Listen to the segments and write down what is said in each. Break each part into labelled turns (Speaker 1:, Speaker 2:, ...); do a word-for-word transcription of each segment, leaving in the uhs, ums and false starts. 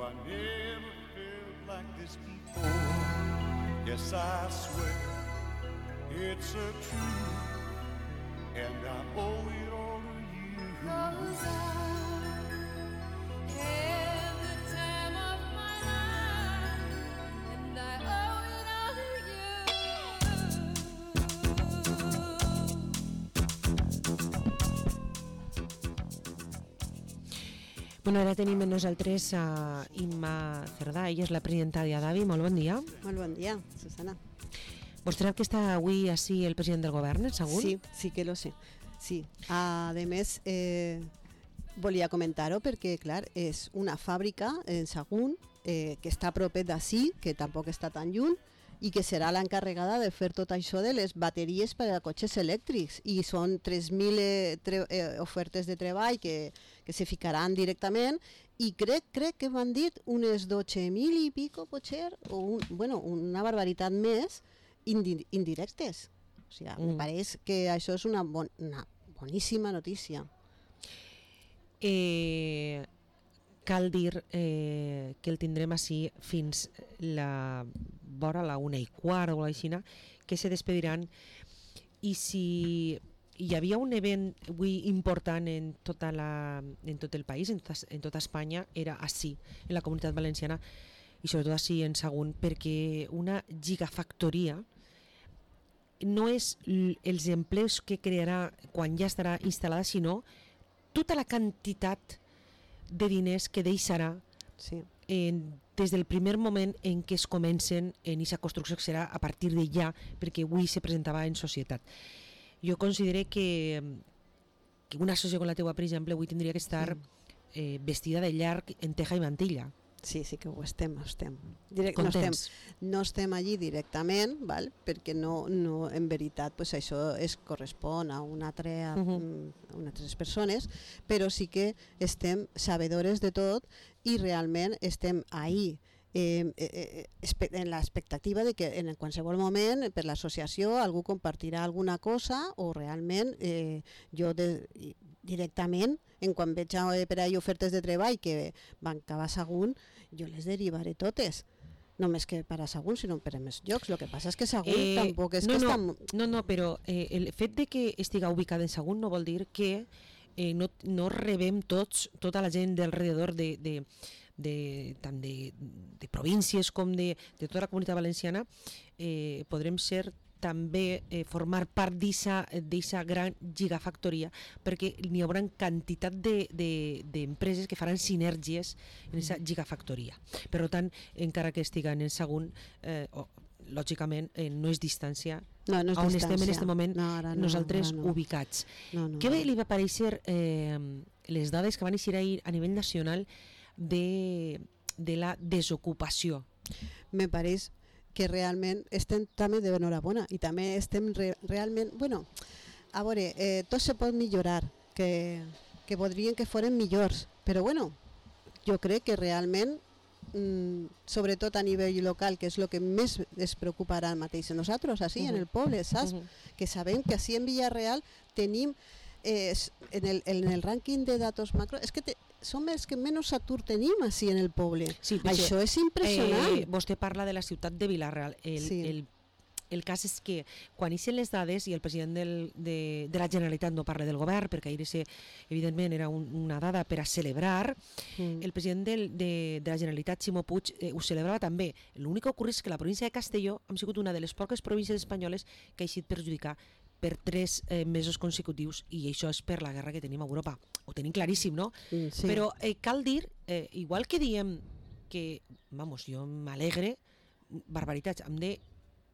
Speaker 1: I never felt like this before. Yes, I swear it's a truth, and I owe it all to you. 'Cause I had the time of my life, and I owe it all to
Speaker 2: you. Bueno, ara tenim amb nosaltres a Imma Cerdà, ella és la presidenta d'Adavi. Molt bon dia.
Speaker 3: Molt bon dia, Susana.
Speaker 2: Vos sabeu que està avui així el president del govern, segur?
Speaker 3: Sí, sí que lo sé. Sí, a més, eh, volia comentar-ho perquè, clar, és una fàbrica en Sagunt eh, que està a propet d'ací, que tampoc està tan lluny, i que serà l'encarregada de fer tot això de les bateries per a cotxes elèctrics, i són tres mil eh, eh, ofertes de treball que, que se ficaran directament, i crec, crec que m'han dit unes dotze mil i pico, potser, o un, bueno, una barbaritat més, indi indirectes. O sigui, mm. em pareix que això és una, bon, una boníssima notícia.
Speaker 2: Eh, cal dir eh, que el tindrem així fins la vora la una i quart o així, que se despediran, i si hi havia un event avui important en, tota la, en tot el país, en tota, en tota Espanya, era així, en la Comunitat Valenciana, i sobretot així en Sagunt, perquè una gigafactoria no és els empleos que crearà quan ja estarà instal·lada, sinó tota la quantitat de diners que deixarà
Speaker 3: sí.
Speaker 2: en, des del primer moment en què es comencen en aquesta construcció, que serà a partir de ja, perquè avui se presentava en societat. Jo considero que, que una associació com la teua, per exemple, avui tindria que estar mm. eh, vestida de llarg en teja i mantilla.
Speaker 3: Sí, sí que ho estem, estem. Direct,
Speaker 2: no, estem
Speaker 3: no estem allí directament, val? Perquè no, no, en veritat pues això es correspon a una altra, uh -huh. a unes altres persones, però sí que estem sabedores de tot i realment estem ahí eh, eh, en l'expectativa de que en qualsevol moment per l'associació algú compartirà alguna cosa, o realment eh, jo de, directament, en quan veig per ahí ofertes de treball que van cap a Sagunt, jo les derivaré totes. No només que per a Sagunt, sinó per a més llocs. El que passa és que Sagunt eh, tampoc és
Speaker 2: no,
Speaker 3: que
Speaker 2: no,
Speaker 3: està...
Speaker 2: No, no, però eh, el fet de que estiga ubicada en Sagunt no vol dir que eh, no, no rebem tots, tota la gent d'alrededor de, de, de, tant de, de províncies com de, de tota la Comunitat Valenciana, eh, podrem ser també eh, formar part d'aquesta gran gigafactoria, perquè n'hi haurà quantitat d'empreses de, de, que faran sinergies en aquesta gigafactoria. Per tant, encara que estiguen en Sagunt, eh, oh, lògicament eh, no és distància
Speaker 3: no, no és
Speaker 2: on
Speaker 3: distància.
Speaker 2: estem en aquest moment
Speaker 3: no, no,
Speaker 2: nosaltres
Speaker 3: no.
Speaker 2: ubicats.
Speaker 3: No, no,
Speaker 2: Què
Speaker 3: no.
Speaker 2: li va parèixer eh, les dades que van eixir ahir a nivell nacional de, de la desocupació?
Speaker 3: Me pareix que realment estem també de enhorabona, i també estem re, realment, bueno, a veure, eh, tot se pot millorar, que, que voldrien que foren millors, però bueno, jo crec que realment, mm, sobretot a nivell local, que és el que més es preocuparà mateix a nosaltres, així, uh-huh. en el poble, saps? Uh-huh. Que sabem que així en Villarreal tenim, eh, en, el, en el rànquing de datos macro, és que te, som els que menys atur tenim així en el poble. Sí, això és impressionant.
Speaker 2: Eh, vostè parla de la ciutat de Vilareal. El, sí. el, el cas és que quan ixen les dades, i el president del, de, de la Generalitat no parla del govern, perquè ahir ese, evidentment era un, una dada per a celebrar, mm. el president del, de, de la Generalitat, Ximo Puig, eh, ho celebrava també. L'únic que ocorre és que la província de Castelló ha sigut una de les poques províncies espanyoles que ha eixit perjudicar per tres eh, mesos consecutius, i això és per la guerra que tenim a Europa. Ho tenim claríssim, no? Mm, sí. Però eh, cal dir, eh, igual que diem que, vamos, jo m'alegre, barbaritats, hem de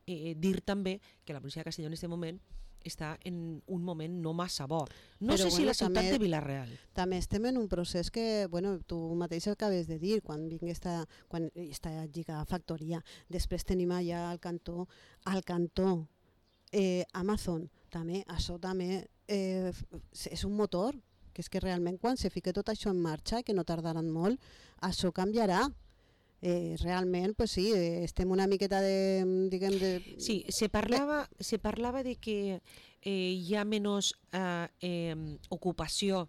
Speaker 2: eh, dir també que la província de Castelló en aquest moment està en un moment no massa bo. No Però sé bueno, si la ciutat també, de Vilareal.
Speaker 3: També estem en un procés que, bueno, tu mateix acabes de dir, quan vingui esta, quan esta gigafactoria, després tenim allà al cantó, al cantó, Eh, Amazon, també, això també eh, és un motor, que és que realment quan se fique tot això en marxa, que no tardaran molt, això canviarà. Eh, realment, pues sí, eh, estem una miqueta de, diguem, de...
Speaker 2: Sí, se parlava, se parlava de que eh, hi ha menys eh, eh, ocupació,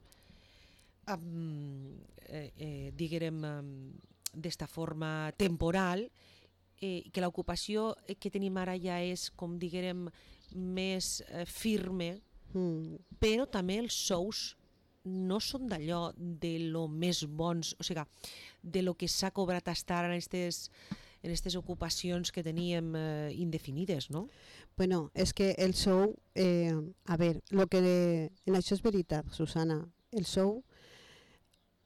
Speaker 2: um, eh, eh, diguem, um, d'esta forma temporal, eh, que l'ocupació que tenim ara ja és, com diguem, més eh, firme, mm. però també els sous no són d'allò de lo més bons, o sigui, de lo que s'ha cobrat estar en aquestes en aquestes ocupacions que teníem eh, indefinides, no?
Speaker 3: Bueno, és que el sou, eh, a veure, lo que de, en això és veritat, Susana, el sou,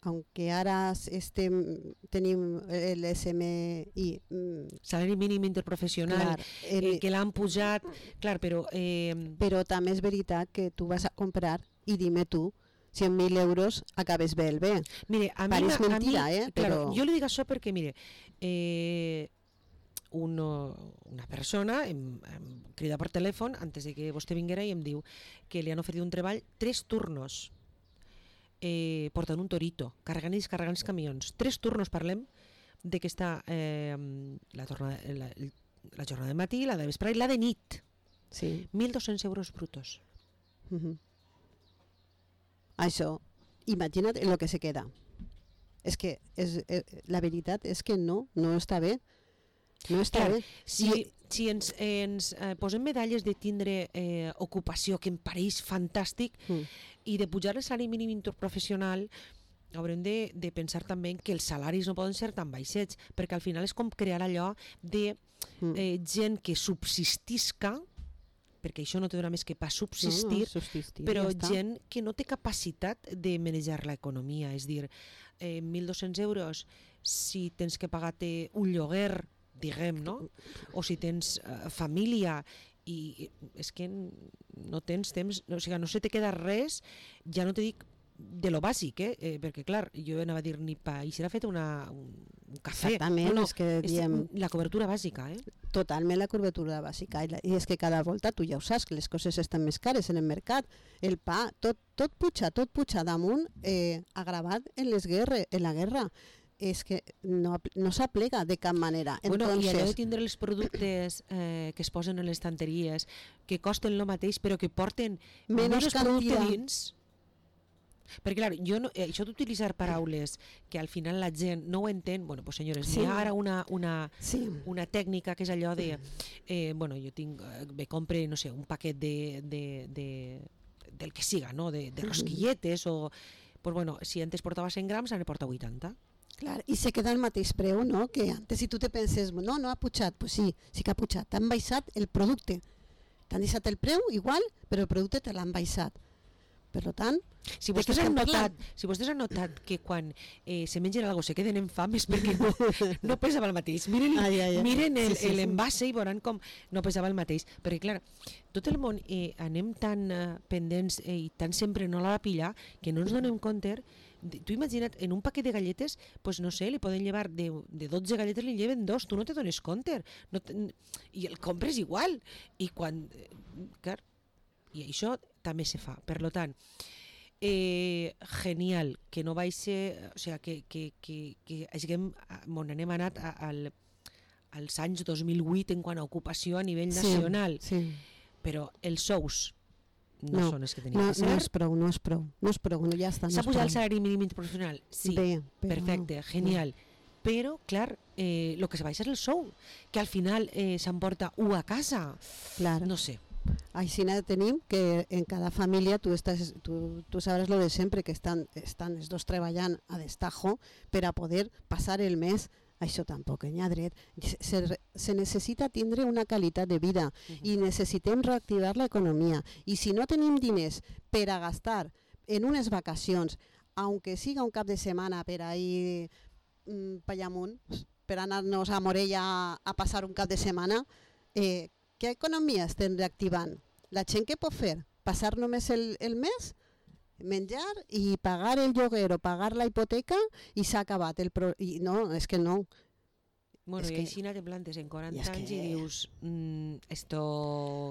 Speaker 3: aunque ara estem, tenim l'S M I... Mm,
Speaker 2: salari mínim interprofessional, clar, el, eh, que l'han pujat, clar, però... Eh...
Speaker 3: Però també és veritat que tu vas a comprar, i dime tu, cent mil euros acabes bé el bé.
Speaker 2: Mire, a mi...
Speaker 3: Pareix mentira,
Speaker 2: a mi,
Speaker 3: eh?
Speaker 2: Claro,
Speaker 3: però...
Speaker 2: jo li dic això perquè, mire, eh, uno, una persona em, em crida per telèfon antes de que vostè vinguera i em diu que li han oferit un treball, tres turnos, eh, portant un torito, carregant i descarregant els camions. Tres turnos, parlem, de que està eh, la, tornada, la, la jornada de matí, la de vespre i la de nit.
Speaker 3: Sí.
Speaker 2: mil dos-cents euros brutos.
Speaker 3: Uh-huh. Això, imagina't el que se queda. És que és, eh, la veritat és que no, no està bé. No està
Speaker 2: Clar,
Speaker 3: bé.
Speaker 2: si,
Speaker 3: I...
Speaker 2: si ens, ens eh, posem medalles de tindre eh, ocupació, que em pareix fantàstic, mm. i de pujar el salari mínim interprofessional, haurem de, de pensar també que els salaris no poden ser tan baixets, perquè al final és com crear allò de mm. eh, gent que subsistisca, perquè això no té dona més que pas subsistir, no, no, subsistir però ja gent que no té capacitat de manejar l'economia, és dir, eh, mil dos-cents euros si tens que pagar-te un lloguer, diguem, no? O si tens uh, família i és que no tens temps, o sigui, no se te queda res, ja no te dic de lo bàsic, eh? eh perquè clar, jo anava a dir ni pa, i serà fet una, un, un cafè.
Speaker 3: Exactament,
Speaker 2: no, no,
Speaker 3: és que diem...
Speaker 2: És la cobertura bàsica, eh?
Speaker 3: Totalment la cobertura bàsica, i, la, i és que cada volta tu ja ho saps, que les coses estan més cares en el mercat, el pa, tot, tot puja, tot puja damunt, eh, agravat en les guerres, en la guerra. És que no, no s'aplega de cap manera.
Speaker 2: Bueno,
Speaker 3: Entonces...
Speaker 2: I allò de tindre els productes eh, que es posen en les estanteries, que costen el mateix, però que porten menys producte dins. Perquè, clar, jo no, eh, això d'utilitzar paraules que al final la gent no ho entén, bueno, pues senyores, sí. Hi ha ara una, una, sí. una tècnica que és allò de, eh, bueno, jo tinc, eh, me compre, no sé, un paquet de, de, de, del que siga, no?, de, de rosquilletes, o, pues bueno, si antes portava cent grams, ara ne porta vuitanta.
Speaker 3: Clar, i se queda al mateix preu, no?, que antes si tu te penses, no, no ha pujat, pues sí, sí que ha pujat, t'han baixat el producte, t'han deixat el preu igual, però el producte te l'han baixat. Per tant,
Speaker 2: si vostès, han notat, si vostès han notat que quan eh, se mengen alguna cosa se queden en fam és perquè no, no pesava el mateix. Miren, ai, ai, ai. miren el, sí, sí, l'envase sí. I veuran com no pesava el mateix. Perquè, clar, tot el món eh, anem tan eh, pendents eh, i tan sempre no la pillar que no ens donem compte. Tu imagina't, en un paquet de galletes, pues no sé, li poden llevar de, de dotze galletes, li lleven dos, tu no te dones compte. No te, I el compres igual. I quan... Clar, i això també se fa. Per lo tant, eh, genial que no vaig ser, o sigui, que, que, que, que haguem, on anem anat a, al, als anys dos mil vuit en quant a ocupació a nivell sí, nacional, sí. Però els sous no, no són els que tenien
Speaker 3: no,
Speaker 2: que ser.
Speaker 3: No és prou, no és prou, no és prou, no, ja està.
Speaker 2: S'ha no pujat el salari mínim interprofessional? Sí, bé, perfecte, no, genial. No. Però, clar, eh, el que se baixa és el sou, que al final eh, s'emporta u a casa.
Speaker 3: Clar.
Speaker 2: No sé.
Speaker 3: Així tenim que en cada família tu, estàs, tu, tu sabràs lo de sempre, que estan, estan els dos treballant a destajo per a poder passar el mes. Això tampoc hi ha dret. Se, se necessita tindre una qualitat de vida uh-huh. i necessitem reactivar l'economia. I si no tenim diners per a gastar en unes vacacions, aunque siga un cap de setmana per a ir mm, per allà amunt, per anar-nos a Morella a, a passar un cap de setmana, eh, què economia estem reactivant? La gent què pot fer? Passar només el, el mes, menjar i pagar el lloguer o pagar la hipoteca i s'ha acabat el pro... I no, és que no.
Speaker 2: Bueno,
Speaker 3: és
Speaker 2: i
Speaker 3: que...
Speaker 2: així te plantes en quaranta
Speaker 3: I
Speaker 2: anys
Speaker 3: que...
Speaker 2: i dius, mm, esto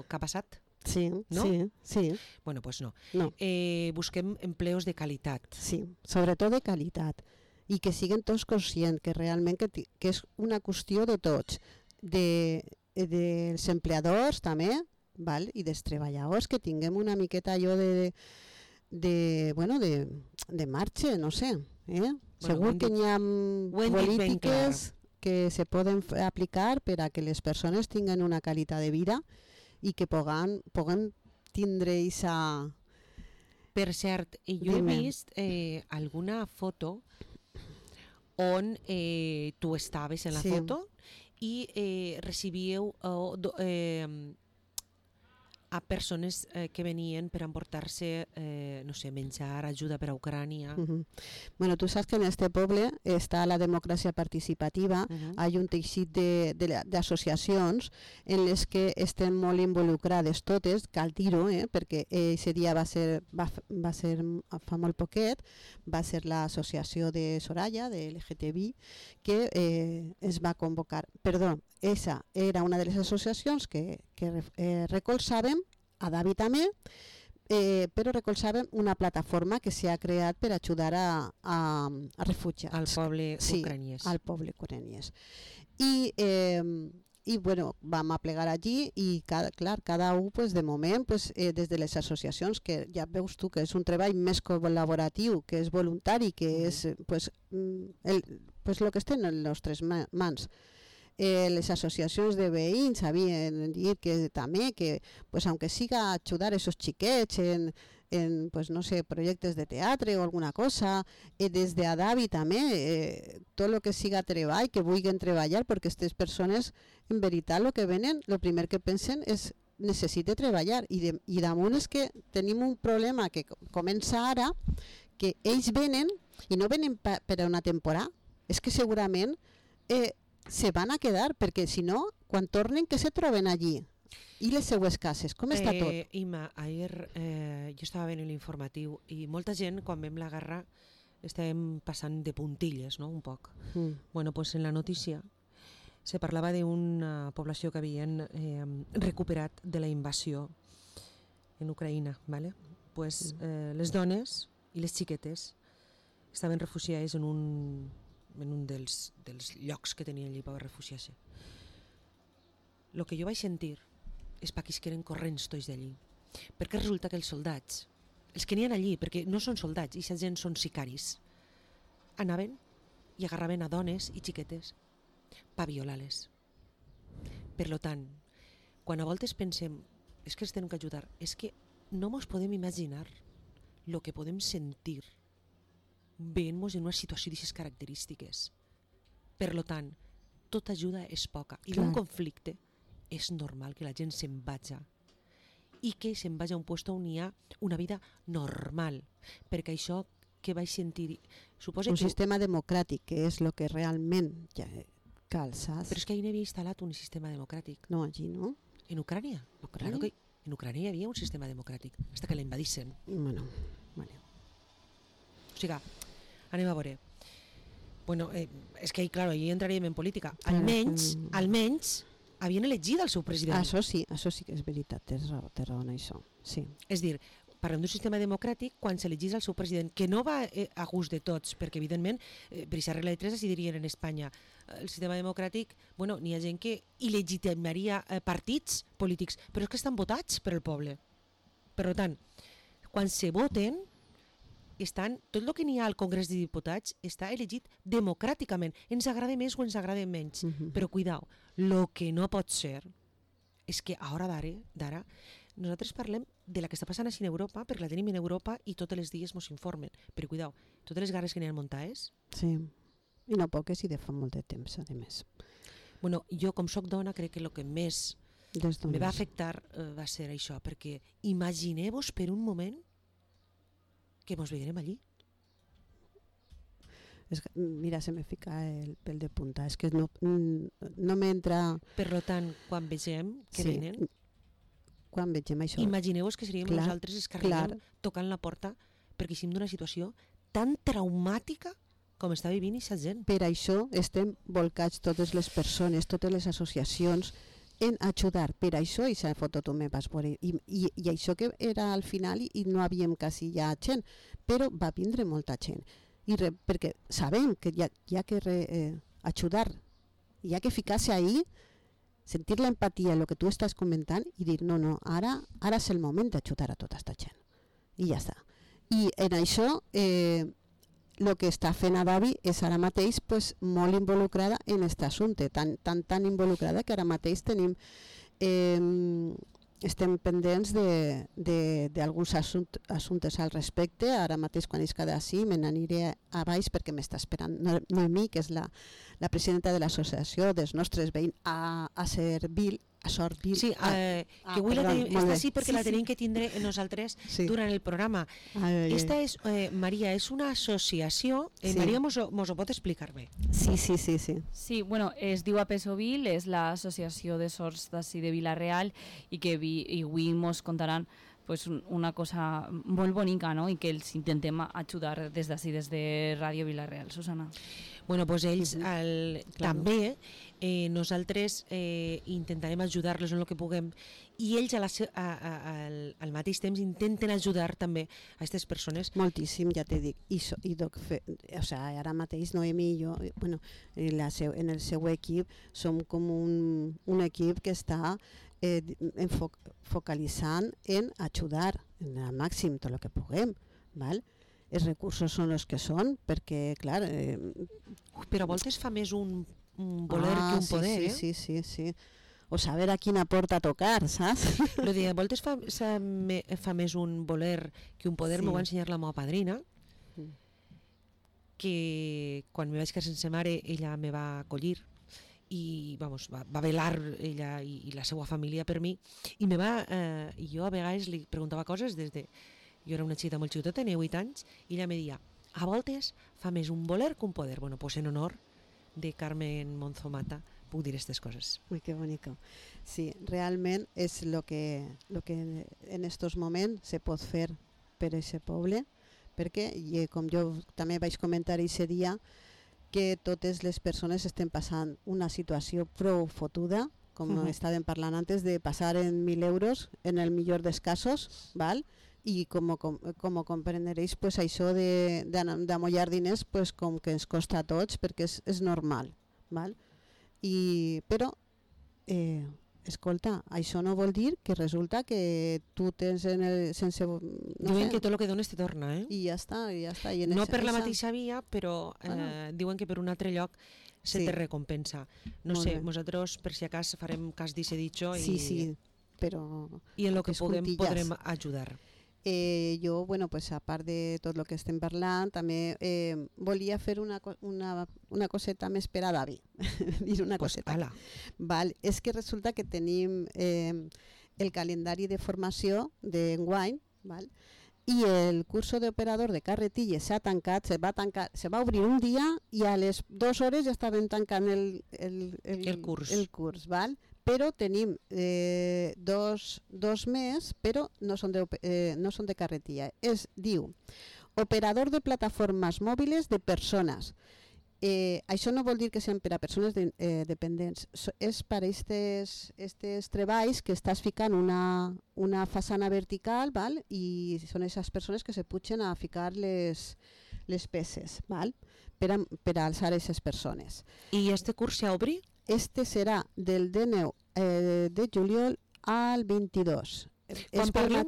Speaker 2: què ha passat?
Speaker 3: Sí,
Speaker 2: no?
Speaker 3: sí, sí.
Speaker 2: Bueno, pues no.
Speaker 3: no.
Speaker 2: Eh, busquem empleos de qualitat.
Speaker 3: Sí, sobretot de qualitat. I que siguin tots conscients que realment que, que és una qüestió de tots, de... dels empleadors també, val? I dels treballadors, que tinguem una miqueta allò de, de, bueno, de, de marxa, no sé, eh? Bueno, segur que hi ha polítiques que se poden aplicar per a que les persones tinguen una qualitat de vida i que puguem, puguem tindre aquesta...
Speaker 2: Per cert, jo he vist eh, alguna foto on eh, tu estaves en la sí. foto i eh, recibíeu eh, eh, a persones eh, que venien per emportar-se, eh, no sé, menjar, ajuda per a Ucrània.
Speaker 3: Uh-huh. Bueno, tu saps que en este poble està la democràcia participativa, uh-huh. hi ha un teixit d'associacions en les que estem molt involucrades totes, cal dir-ho, eh, perquè aquest dia va ser, va, va ser fa molt poquet, va ser l'associació de Soraya, de L G T B I, que eh, es va convocar, perdó, esa era una de les associacions que, que eh, recolzaven a David també, eh, però recolzaven una plataforma que s'ha creat per ajudar a, a, a refugiats.
Speaker 2: Al poble
Speaker 3: sí,
Speaker 2: ucraniès.
Speaker 3: al poble ucraniès. I, eh, i bueno, vam a plegar allí i cada, clar, cada un pues, de moment pues, eh, des de les associacions, que ja veus tu que és un treball més col·laboratiu, que és voluntari, que mm. és pues, el, pues, lo que esté en les nostres mans. Eh, les associacions de veïns havien dit que també, que pues, aunque siga ajudar a esos xiquets en, en pues, no sé, projectes de teatre o alguna cosa, eh, des de Adavi també, eh, tot el que siga treball, que vulguin treballar, perquè aquestes persones, en veritat, el que venen, el primer que pensen és necessite treballar, i, de, i damunt és que tenim un problema que comença ara, que ells venen, i no venen pa, per a una temporada, és que segurament eh, se van a quedar, perquè si no, quan tornen, que se troben allí? I les seues cases, com està
Speaker 2: eh,
Speaker 3: tot?
Speaker 2: Ima, ahir eh, jo estava veient l'informatiu i molta gent, quan vam la guerra, estàvem passant de puntilles, no?, un poc. Mm. Bueno, pues en la notícia se parlava d'una població que havien eh, recuperat de la invasió en Ucraïna, ¿vale? Pues eh, les dones i les xiquetes estaven refugiades en un en un dels, dels llocs que tenien allí per refugiar-se. El que jo vaig sentir és paquis que eren corrents tots d'allí, perquè resulta que els soldats, els que n'hi ha allí, perquè no són soldats, i aquesta gent són sicaris, anaven i agarraven a dones i xiquetes per violar-les. Per tant, quan a voltes pensem és que els tenim que ajudar, és que no mos podem imaginar el que podem sentir veient-nos en una situació d'aquestes característiques. Per tant, tota ajuda és poca. I d'un conflicte és normal que la gent se'n vaja i que se'n vaja a un lloc on hi ha una vida normal. Perquè això que vaig sentir... Suposo
Speaker 3: un
Speaker 2: que...
Speaker 3: sistema democràtic, que és el que realment ja cal, saps?
Speaker 2: Però és que ahir no havia instal·lat un sistema democràtic.
Speaker 3: No, allí no.
Speaker 2: En Ucrània? Claro que en Ucrània hi havia un sistema democràtic, fins que l'invadissin.
Speaker 3: Bueno, bueno.
Speaker 2: O sigui, anem a veure. Bueno, eh, és que, clar, allà entraríem en política. Almenys, mm. almenys, havien elegit el seu president.
Speaker 3: Això sí, això sí que és veritat, tens raó, té raó en això. Sí.
Speaker 2: És dir, parlem d'un sistema democràtic quan s'elegís el seu president, que no va eh, a gust de tots, perquè evidentment, eh, per aquesta regla de tres es dirien en Espanya. El sistema democràtic, bueno, n'hi ha gent que il·legitimaria eh, partits polítics, però és que estan votats per el poble. Per tant, quan se voten, estan, tot el que n'hi ha al Congrés de Diputats està elegit democràticament. Ens agrada més o ens agrada menys. Uh-huh. Però cuidao, el que no pot ser és que a hora d'ara nosaltres parlem de la que està passant així en Europa, perquè la tenim en Europa i tots els dies ens informen. Però cuidao, totes les guerres que n'hi ha muntades...
Speaker 3: Sí, i no poques i de fa molt de temps, a més.
Speaker 2: Bueno, jo com soc dona crec que el que més me va afectar eh, va ser això, perquè imagineu-vos per un moment que mos veiem allí.
Speaker 3: Es que, mira, se me fica el pèl de punta. És que no, no m'entra...
Speaker 2: Per tant, quan vegem que sí, venen...
Speaker 3: Quan vegem això...
Speaker 2: Imagineu-vos que seríem clar, nosaltres els que arribem tocant la porta perquè estem d'una situació tan traumàtica com està vivint aquesta gent.
Speaker 3: Per això estem volcats totes les persones, totes les associacions, en ajudar. Per això i s'ha fotot un me vas veure. I, i, I això que era al final i, i no havíem quasi ja gent, però va vindre molta gent. I re, perquè sabem que hi ha, hi ha que re, eh, ajudar, hi ha que ficar-se ahí, sentir l'empatia, el que tu estàs comentant i dir no, no, ara, ara és el moment d'ajudar a tota aquesta gent. I ja està. I en això, eh, el que està fent Adavi és ara mateix pues, molt involucrada en aquest assumpte, tan, tan, tan involucrada que ara mateix tenim eh, estem pendents d'alguns assunt, assumptes al respecte. Ara mateix quan és cada sí me n'aniré a baix perquè m'està esperant Noemí, que és la, la presidenta de l'associació dels nostres veïns a, a Servil, a Sorbil.
Speaker 2: Sí, eh, ah, que avui perdó, la tenim, esta sí perquè sí, la tenim sí. que tindre nosaltres sí. durant el programa. Ai, ai, esta és, eh, Maria, és una associació, eh, sí. Maria mos, mos ho pot explicar bé.
Speaker 3: Sí, sí, sí. Sí,
Speaker 4: sí bueno, es diu APESOVIL, és l'associació de sords d'ací de Vila-real i que vi, i avui mos contaran pues, una cosa molt bonica, no? I que els intentem ajudar des d'ací, des de Ràdio Vila-real. Susana.
Speaker 2: Bueno, doncs ells el, també eh, nosaltres eh, intentarem ajudar-los en el que puguem i ells a la, a, a, al, al mateix temps intenten ajudar també a aquestes persones.
Speaker 3: Moltíssim, ja t'he dit. I, so, i doc, fe, o sea, ara mateix Noemí i jo, bueno, en, la seu, en el seu equip som com un, un equip que està eh, enfoc, focalitzant en ajudar en el màxim tot el que puguem, val? Els recursos són els que són, perquè, clar... Eh...
Speaker 2: Ui, però a voltes fa més un, un voler ah, que un
Speaker 3: sí,
Speaker 2: poder,
Speaker 3: sí,
Speaker 2: eh?
Speaker 3: Sí, sí, sí. O saber a quina porta tocar, saps?
Speaker 2: Lo de a voltes fa, me, fa més un voler que un poder, sí. M'ho va ensenyar la meva padrina, mm. que quan me vaig quedar sense mare, ella me va acollir i vamos, va, va velar ella i, i la seva família per mi, i me va, eh, i jo a vegades li preguntava coses des de... Jo era una xiqueta molt xicoteta, tenia vuit anys, i ella me deia, a voltes fa més un voler que un poder. Bueno, pues en honor de Carmen Monzomata puc dir aquestes coses.
Speaker 3: Ui, que bonico. Sí, realment és el que, lo que en estos moments se pot fer per a aquest poble, perquè, i com jo també vaig comentar aquest dia, que totes les persones estem passant una situació prou fotuda, com uh-huh. estàvem parlant antes, de passar en mil euros, en el millor dels casos, val? I com, com, com comprenderéis, pues, això d'amollar diners pues, com que ens costa a tots perquè és, és normal. Val? I, però, eh, escolta, això no vol dir que resulta que tu tens en el... sense, no
Speaker 2: diuen
Speaker 3: sé,
Speaker 2: que tot el que dones te torna, eh?
Speaker 3: I ja està, i ja està. I en
Speaker 2: no
Speaker 3: esa,
Speaker 2: per la
Speaker 3: esa...
Speaker 2: mateixa via, però eh, bueno. diuen que per un altre lloc se sí. te recompensa. No Molt sé, bé. Nosaltres per si acas farem cas d'ese dicho i,
Speaker 3: sí, sí, però
Speaker 2: i en el que puguem podrem ajudar.
Speaker 3: Eh, jo, bueno, pues, a part de tot el que estem parlant, també eh, volia fer una, una, una coseta més per a Davi. Dir una
Speaker 2: pues
Speaker 3: coseta.
Speaker 2: Ala.
Speaker 3: Val, és que resulta que tenim eh, el calendari de formació d'enguany, val? I el curso d'operador de carretilles s'ha tancat, se va, tancar, se va obrir un dia i a les dues hores ja estaven tancant el, el, el,
Speaker 2: el curs.
Speaker 3: El curs val? Però tenim eh, dos, dos més, però no són de, eh, no són de carretilla. Es diu operador de plataformes mòbiles de persones. Eh, això no vol dir que siguin per a persones de, eh, dependents. So, és per a aquests treballs que estàs ficant una, una façana vertical, val? I són aquestes persones que se pugen a ficar les, les peces, val? Per, a, per a alçar aquestes persones.
Speaker 2: I este curs s'obri?
Speaker 3: Este serà del dinou eh, de juliol al vint-i-dos.
Speaker 2: Quan parlem,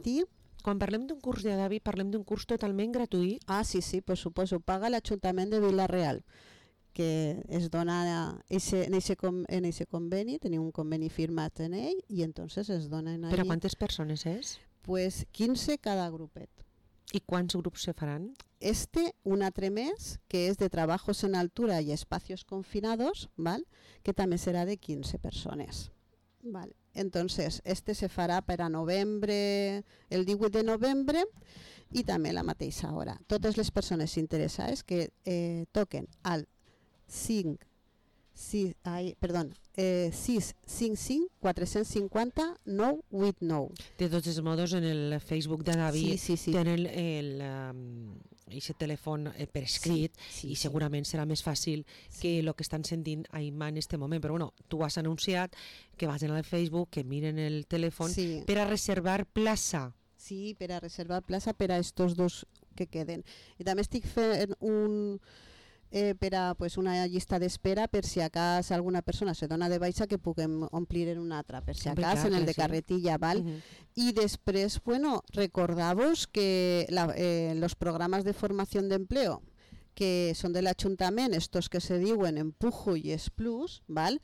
Speaker 2: quan parlem d'un curs de Davi, parlem d'un curs totalment gratuït?
Speaker 3: Ah, sí, sí, per suposo. Paga l'Ajuntament de Vila-real, que es dona ese, en aquest conveni, tenim un conveni firmat en ell, i entonces es donen allí.
Speaker 2: Per a quantes persones és?
Speaker 3: Pues quinze cada grupet.
Speaker 2: I quants grups se faran?
Speaker 3: Este, un altre més, que és de trabajos en altura i espacios confinados, ¿val? Que també serà de quinze persones. ¿Val? Entonces, este se farà per a novembre, el divuit de novembre, i també la mateixa hora. Totes les persones interessades que eh, toquen al cinc, sis, ai, perdó, eh, sis cinc cinc quatre cinquanta nou vuit nou.
Speaker 2: De tots els modos, en el Facebook de Davi
Speaker 3: sí, sí, sí.
Speaker 2: tenen el, um, aquest telèfon eh, per escrit sí, sí, i segurament serà més fàcil sí. que el que estan sentint a Imma en aquest moment. Però bueno, tu has anunciat que vagin al Facebook, que miren el telèfon sí. per a reservar plaça.
Speaker 3: Sí, per a reservar plaça per a estos dos que queden. I també estic fent un... Eh, per a pues, una llista d'espera per si a cas alguna persona se dona de baixa que puguem omplir en una altra, per si a cas en el de carretilla, val? Uh-huh. I després, bueno, recordar-vos que la, eh, los programas de formación de empleo que són de l'Ajuntament, estos que se diuen Empujo i Explus, val?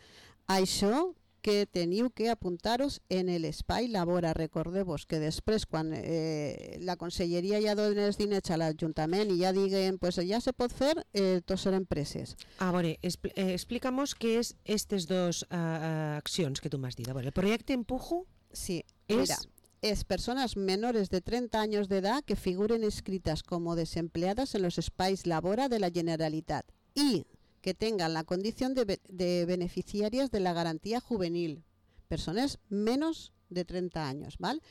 Speaker 3: Això que teniu que apuntar-vos en l'espai Labora. Recordeu-vos que després, quan eh, la Conselleria ja dona els diners a l'Ajuntament i ja diguen, pues ja se pot fer, eh, tots seran preses.
Speaker 2: A veure, expl eh, explícamos què és aquestes dues uh, accions que tu m'has dit. A veure, el projecte Empujo
Speaker 3: sí,
Speaker 2: és...
Speaker 3: mira, es personas menores de treinta años de edad que figuren inscritas como desempleadas en los espais Labora de la Generalitat y que tengan la condición de, de beneficiarias de la garantía juvenil. Personas menos de treinta años, ¿vale?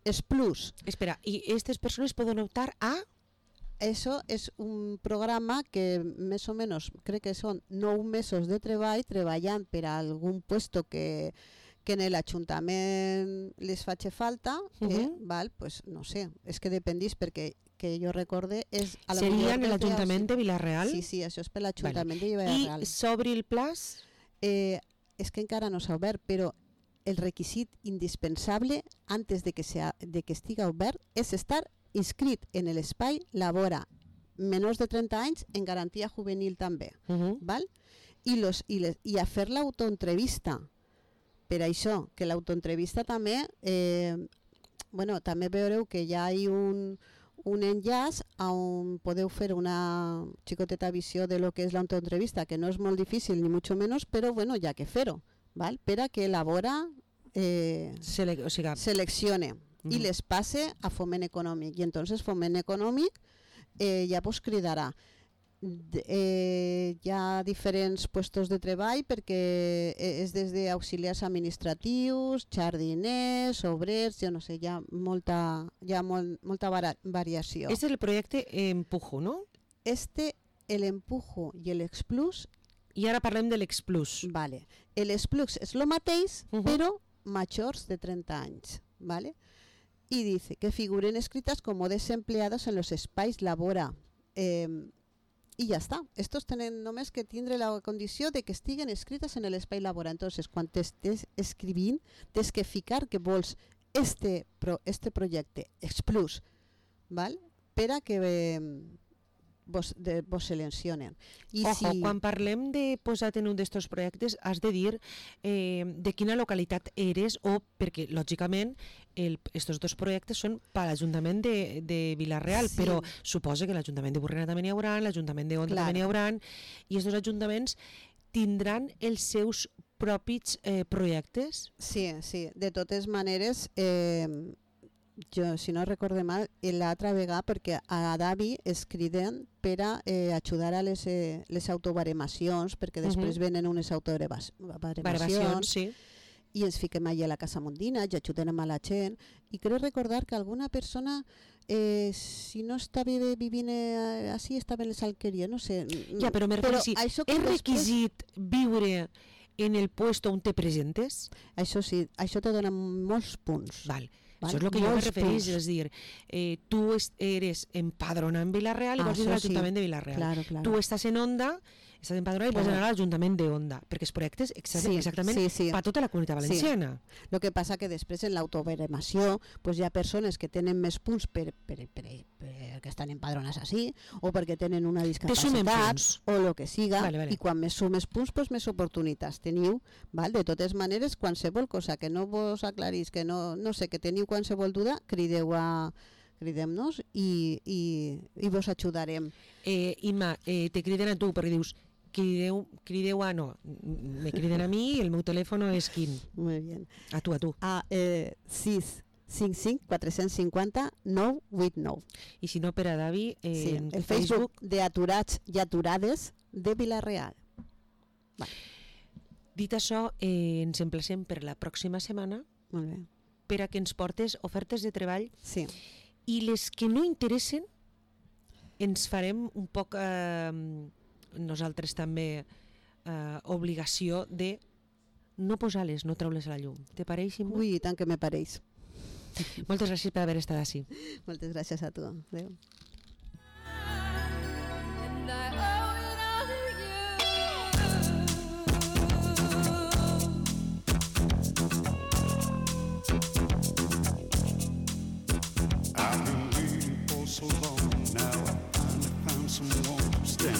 Speaker 3: Es plus.
Speaker 2: Espera, ¿y estas personas pueden optar a...?
Speaker 3: Eso es un programa que más o menos, creo que son nueve mesos de treball, treballant per a algún puesto que, que en l'Ajuntament les faci falta, uh -huh. eh, val? Pues no sé, és que dependís perquè que jo recorde és... A
Speaker 2: Seria en l'Ajuntament de Vila-real?
Speaker 3: Sí, sí, això és per l'Ajuntament vale. de Vila-real.
Speaker 2: I s'obri el plaç?
Speaker 3: Eh, és que encara no s'ha obert, però el requisit indispensable antes de que, sea, de que estiga obert és estar inscrit en l'espai Labora, menors de trenta anys, en garantia juvenil també. Uh -huh. val? I, los, i, les, I a fer l'autoentrevista. Per això, que l'autoentrevista també... Eh, bueno, també veureu que ja hi ha un... un enllaç on podeu fer una xicoteta visió de lo que és l'autoentrevista, que no és molt difícil ni mucho menos, però bueno, ja que fer-ho, val? Per a que Labora eh,
Speaker 2: Sele o sigui,
Speaker 3: seleccione uh -huh. i les passe a Foment Econòmic. I entonces Foment Econòmic eh, ja vos cridarà. Eh, hi ha diferents puestos de treball perquè és des d'auxiliars administratius, jardiners, obrers, jo no sé, hi ha molta, hi ha molt, molta variació.
Speaker 2: Este és el projecte Empujo, no?
Speaker 3: Este, el Empujo i l'Explus.
Speaker 2: I ara parlem de l'Explus.
Speaker 3: Vale. L'Explus és el mateix, uh -huh. però majors de trenta anys. Vale? I dice que figuren escritas como desempleados en los espais Labora. Eh, I ja està. Estos tenen només que tindre la condició de que estiguen escrites en l'espai Labora. Entonces, quan t'estés escrivint, tens que ficar que vols este, pro, este projecte, Explus, val? Per a que eh, vos, de, vos seleccionen. I
Speaker 2: Ojo,
Speaker 3: si...
Speaker 2: quan parlem de posar en un d'estos projectes, has de dir eh, de quina localitat eres o, perquè, lògicament, el, estos dos projectes són per l'Ajuntament de, de Vila-real, sí. Però suposa que l'Ajuntament de Burriana també n'hi haurà, l'Ajuntament de Onda claro. també n'hi haurà, i estos ajuntaments tindran els seus propis eh, projectes?
Speaker 3: Sí, sí. De totes maneres, eh, jo, si no recorde mal, l'altra vegada, perquè a Davi es criden per a eh, ajudar a les, eh, les autobaremacions, perquè després uh -huh. venen unes autobaremacions,
Speaker 2: sí.
Speaker 3: i ens fiquem allà a la Casa Mondina i ajudem a la gent. I crec recordar que alguna persona, eh, si no estava vivint eh, així, estava en les alqueries, no sé.
Speaker 2: Ja, però me refereixo, és requisit viure en el puesto on te presentes?
Speaker 3: Això sí, això te dona molts punts.
Speaker 2: Val. Val? Això és el que jo me referís, és dir, eh, tu eres empadronat en Vila-real i vols anar a l'Ajuntament sí. de Vila-real.
Speaker 3: Claro, claro.
Speaker 2: Tu estàs en Onda, estàs empadronat i claro. vols anar a l'Ajuntament de Onda, perquè els projectes exactament, sí, exactament sí, sí. per tota la comunitat valenciana.
Speaker 3: Sí. El que passa que després en l'autobaremació pues, hi ha persones que tenen més punts per, per, per, per que estan empadronats així, o perquè tenen una discapacitat, o el que siga, vale, vale. I quan més sumes punts, pues, més oportunitats teniu. Val? De totes maneres, qualsevol cosa que no vos aclarís, que no, no sé, que teniu qualsevol duda, crideu a cridem-nos i, i, i vos ajudarem.
Speaker 2: Eh, Imma, eh, te criden a tu perquè dius crideu, crideu a no, me criden a mi i el meu telèfon és quin?
Speaker 3: Molt bé.
Speaker 2: A tu, a tu.
Speaker 3: A eh, sis cinc cinc quatre cinquanta nou vuit nou.
Speaker 2: I si no per a Davi, eh,
Speaker 3: sí,
Speaker 2: en
Speaker 3: el
Speaker 2: Facebook...
Speaker 3: Facebook de Aturats i Aturades de Vila-real. Va.
Speaker 2: Dit això, eh, ens emplacem per la pròxima setmana.
Speaker 3: Molt bé.
Speaker 2: Per a que ens portes ofertes de treball.
Speaker 3: Sí.
Speaker 2: I les que no interessen ens farem un poc eh, nosaltres també eh, obligació de no posar-les, no treure-les a la llum. Te pareix, Imma?
Speaker 3: Ui, tant que me pareix.
Speaker 2: Moltes gràcies per haver estat així.
Speaker 3: Moltes gràcies a tu. Adéu.
Speaker 1: I've been waiting for so long now.